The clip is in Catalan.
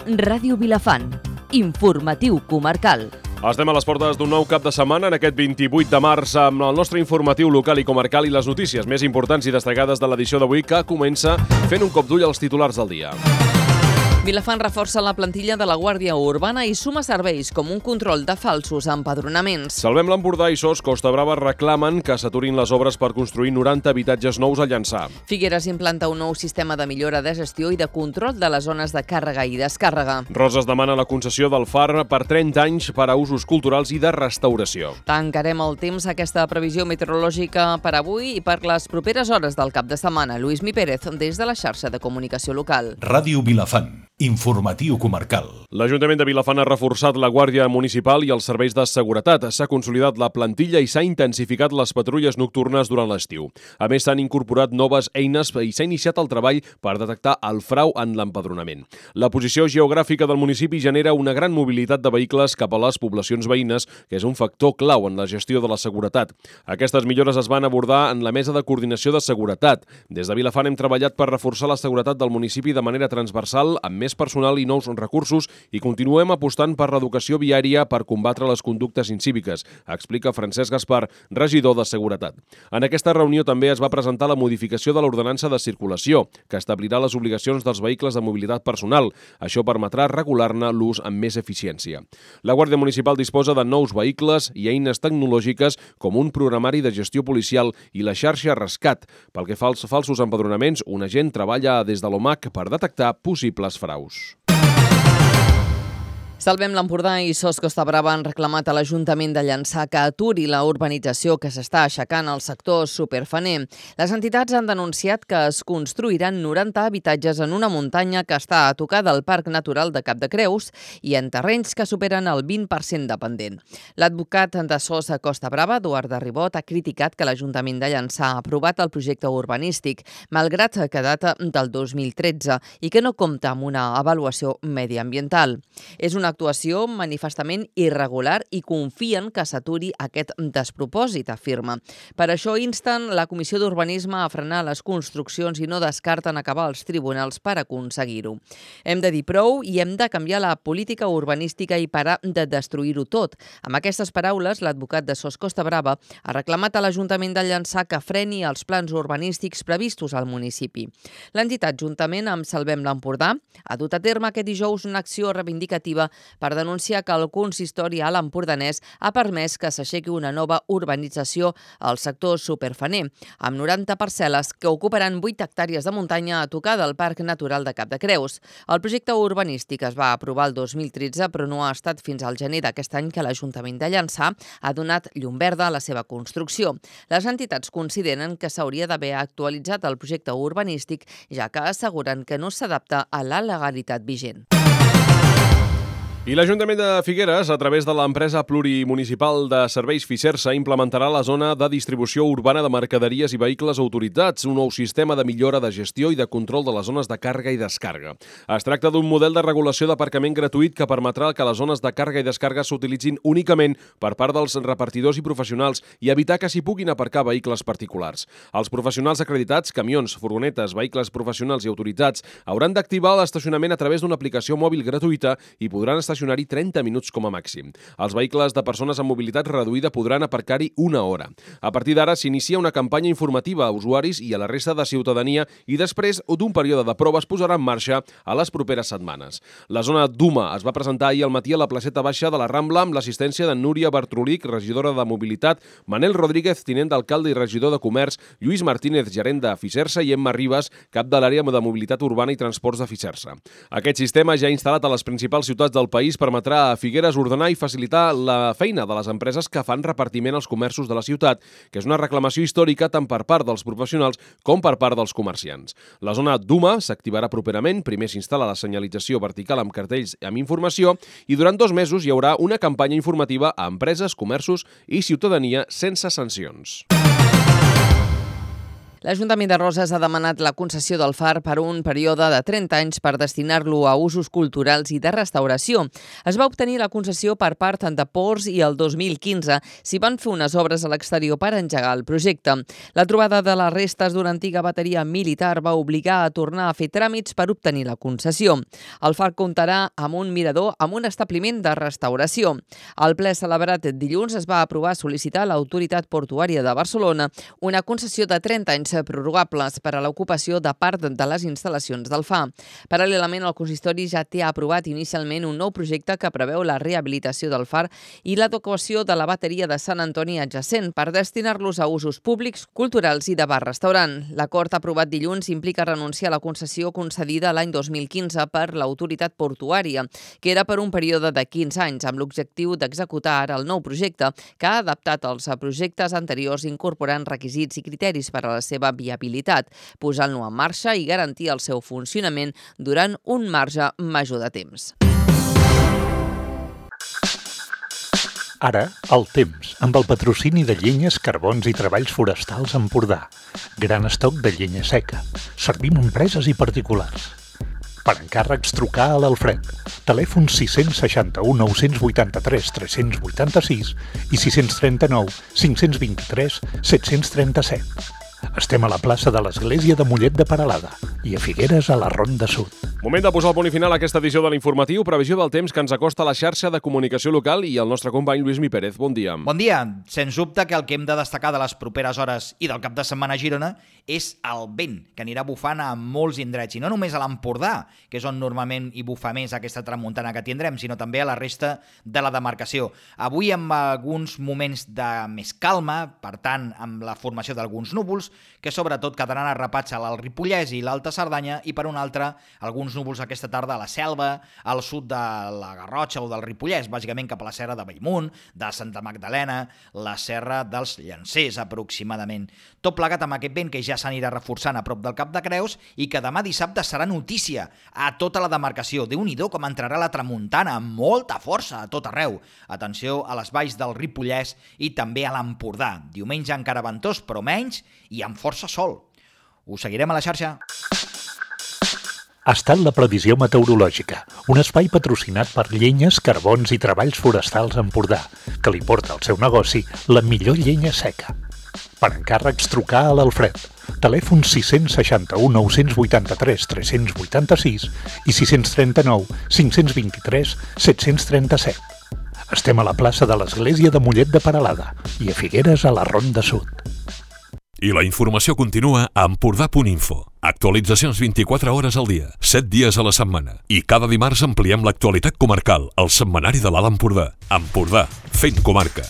Ràdio Vilafant. Informatiu comarcal. Estem a les portes d'un nou cap de setmana en aquest 28 de març amb el nostre informatiu local i comarcal i les notícies més importants i destacades de l'edició d'avui, que comença fent un cop d'ull als titulars del dia. Vilafant reforça la plantilla de la Guàrdia Urbana i suma serveis com un control de falsos empadronaments. Salvem l'Empordà i SOS Costa Brava reclamen que s'aturin les obres per construir 90 habitatges nous a Llançà. Figueres implanta un nou sistema de millora de gestió i de control de les zones de càrrega i descàrrega. Roses demana la concessió del FAR per 30 anys per a usos culturals i de restauració. Tancarem el temps aquesta previsió meteorològica per avui i per les properes hores del cap de setmana. Lluís Mi Pérez, des de la xarxa de comunicació local. Ràdio Vilafant. Informatiu comarcal. L'Ajuntament de Vilafant ha reforçat la Guàrdia Municipal i els serveis de seguretat. S'ha consolidat la plantilla i s'ha intensificat les patrulles nocturnes durant l'estiu. A més, s'han incorporat noves eines i s'ha iniciat el treball per detectar el frau en l'empadronament. La posició geogràfica del municipi genera una gran mobilitat de vehicles cap a les poblacions veïnes, que és un factor clau en la gestió de la seguretat. Aquestes millores es van abordar en la Mesa de Coordinació de Seguretat. Des de Vilafant hem treballat per reforçar la seguretat del municipi de manera transversal, amb més personal i nous recursos, i continuem apostant per l'educació viària per combatre les conductes incíviques, explica Francesc Gaspar, regidor de Seguretat. En aquesta reunió també es va presentar la modificació de l'ordenança de circulació, que establirà les obligacions dels vehicles de mobilitat personal. Això permetrà regular-ne l'ús amb més eficiència. La Guàrdia Municipal disposa de nous vehicles i eines tecnològiques com un programari de gestió policial i la xarxa Rescat. Pel que fa als falsos empadronaments, un agent treballa des de l'OMAC per detectar possibles fraus. Salvem l'Empordà i SOS Costa Brava han reclamat a l'Ajuntament de Llançà que aturi la urbanització que s'està aixecant al sector superfaner. Les entitats han denunciat que es construiran 90 habitatges en una muntanya que està a tocar del Parc Natural de Cap de Creus i en terrenys que superen el 20% de pendent. L'advocat de SOS a Costa Brava, Eduard de Ribot, ha criticat que l'Ajuntament de Llançà ha aprovat el projecte urbanístic, malgrat que data del 2013 i que no compta amb una avaluació mediambiental. És una actuació manifestament irregular i confien que s'aturi aquest despropòsit, afirma. Per això insten la Comissió d'Urbanisme a frenar les construccions i no descarten acabar als tribunals per aconseguir-ho. Hem de dir prou i hem de canviar la política urbanística i parar de destruir-ho tot. Amb aquestes paraules, l'advocat de SOS Costa Brava ha reclamat a l'Ajuntament de Llançà que freni els plans urbanístics previstos al municipi. L'entitat, juntament amb Salvem l'Empordà, ha dut a terme aquest dijous una acció reivindicativa per denunciar que el consistori a l'Empordanès ha permès que s'aixequi una nova urbanització al sector superfaner, amb 90 parcel·les que ocuparan 8 hectàrees de muntanya a tocar del Parc Natural de Cap de Creus. El projecte urbanístic es va aprovar el 2013, però no ha estat fins al gener d'aquest any que l'Ajuntament de Llançà ha donat llum verda a la seva construcció. Les entitats consideren que s'hauria d'haver actualitzat el projecte urbanístic, ja que asseguren que no s'adapta a la legalitat vigent. I l'Ajuntament de Figueres, a través de l'empresa plurimunicipal de serveis Fisersa, implementarà la zona de distribució urbana de mercaderies i vehicles autoritzats, un nou sistema de millora de gestió i de control de les zones de càrrega i descàrrega. Es tracta d'un model de regulació d'aparcament gratuït que permetrà que les zones de càrrega i descàrrega s'utilitzin únicament per part dels repartidors i professionals i evitar que s'hi puguin aparcar vehicles particulars. Els professionals acreditats, camions, furgonetes, vehicles professionals i autoritzats hauran d'activar l'estacionament a través d'una aplicació mòbil gratuïta i podran estacionar-hi 30 minuts com a màxim. Els vehicles de persones amb mobilitat reduïda podran aparcar-hi una hora. A partir d'ara s'inicia una campanya informativa a usuaris i a la resta de ciutadania i després d'un període de prova es posarà en marxa a les properes setmanes. La zona d'Uma es va presentar ahir al matí a la placeta baixa de la Rambla amb l'assistència de Núria Bartrolic, regidora de Mobilitat, Manel Rodríguez, tinent d'alcalde i regidor de Comerç, Lluís Martínez, gerent de Fisersa, i Emma Ribas, cap de l'àrea de mobilitat urbana i transports de Fisersa. Aquest sistema ja instal·lat a les principals ciutats del país permetrà a Figueres ordenar i facilitar la feina de les empreses que fan repartiment als comerços de la ciutat, que és una reclamació històrica tant per part dels professionals com per part dels comerciants. La zona d'Uma s'activarà properament, primer s'instal·la la senyalització vertical amb cartells amb informació i durant 2 mesos hi haurà una campanya informativa a empreses, comerços i ciutadania sense sancions. L'Ajuntament de Roses ha demanat la concessió del far per un període de 30 anys per destinar-lo a usos culturals i de restauració. Es va obtenir la concessió per part de Ports i el 2015 s'hi van fer unes obres a l'exterior per engegar el projecte. La trobada de les restes d'una antiga bateria militar va obligar a tornar a fer tràmits per obtenir la concessió. El far comptarà amb un mirador amb un establiment de restauració. Al ple celebrat dilluns es va aprovar sol·licitar a l'Autoritat Portuària de Barcelona una concessió de 30 anys prorrogables per a l'ocupació de part de les instal·lacions del FA. Paral·lelament, el consistori ja té aprovat inicialment un nou projecte que preveu la rehabilitació del far i l'adequació de la bateria de Sant Antoni adjacent per destinar-los a usos públics, culturals i de bar-restaurant. L'acord aprovat dilluns implica renunciar a la concessió concedida l'any 2015 per l'autoritat portuària, que era per un període de 15 anys, amb l'objectiu d'executar ara el nou projecte, que ha adaptat els projectes anteriors incorporant requisits i criteris per a la seva viabilitat, posant-lo en marxa i garantir el seu funcionament durant un marge major de temps. Ara, el temps, amb el patrocini de Llenyes, Carbons i Treballs Forestals Empordà. Gran estoc de llenya seca. Servim a empreses i particulars. Per encàrrecs, trucar a l'Alfred. Telèfon 661 983 386 i 639 523 737. Estem a la plaça de l'Església de Mollet de Peralada i a Figueres a la Ronda Sud. Moment de posar el punt i final a aquesta edició de l'Informatiu. Previsió del temps que ens acosta a la xarxa de comunicació local i el nostre company Lluís Mi Pérez. Bon dia. Bon dia. Sens dubte que el que hem de destacar de les properes hores i del cap de setmana a Girona és el vent, que anirà bufant a molts indrets, i no només a l'Empordà, que és on normalment hi bufa més aquesta tramuntana que tindrem, sinó també a la resta de la demarcació. Avui amb alguns moments de més calma, per tant, amb la formació d'alguns núvols, que sobretot quedaran arrapats al Ripollès i l'Alta Cerdanya, i per un altre, alguns núvols aquesta tarda a la Selva, al sud de la Garrotxa o del Ripollès, bàsicament cap a la serra de Bellmunt, de Santa Magdalena, la serra dels Llancers, aproximadament. Tot plegat amb aquest vent que ja s'anirà reforçant a prop del Cap de Creus i que demà dissabte serà notícia a tota la demarcació. Déu-n'hi-do com entrarà la tramuntana, amb molta força a tot arreu. Atenció a les valls del Ripollès i també a l'Empordà. Diumenge encara ventós, però menys, i amb força sol. Us seguirem a la xarxa. Ha estat la previsió meteorològica, un espai patrocinat per Llenyes, Carbons i Treballs Forestals Empordà, que li porta al seu negoci la millor llenya seca. Per encàrrecs, trucar a l'Alfred. Telèfon 661 983 386 i 639 523 737. Estem a la plaça de l'Església de Mollet de Peralada i a Figueres a la Ronda Sud. I la informació continua a Empordà.info. Actualitzacions 24 hores al dia, 7 dies a la setmana. I cada dimarts ampliem l'actualitat comarcal, al setmanari de l'Alt Empordà. Empordà, fent comarca.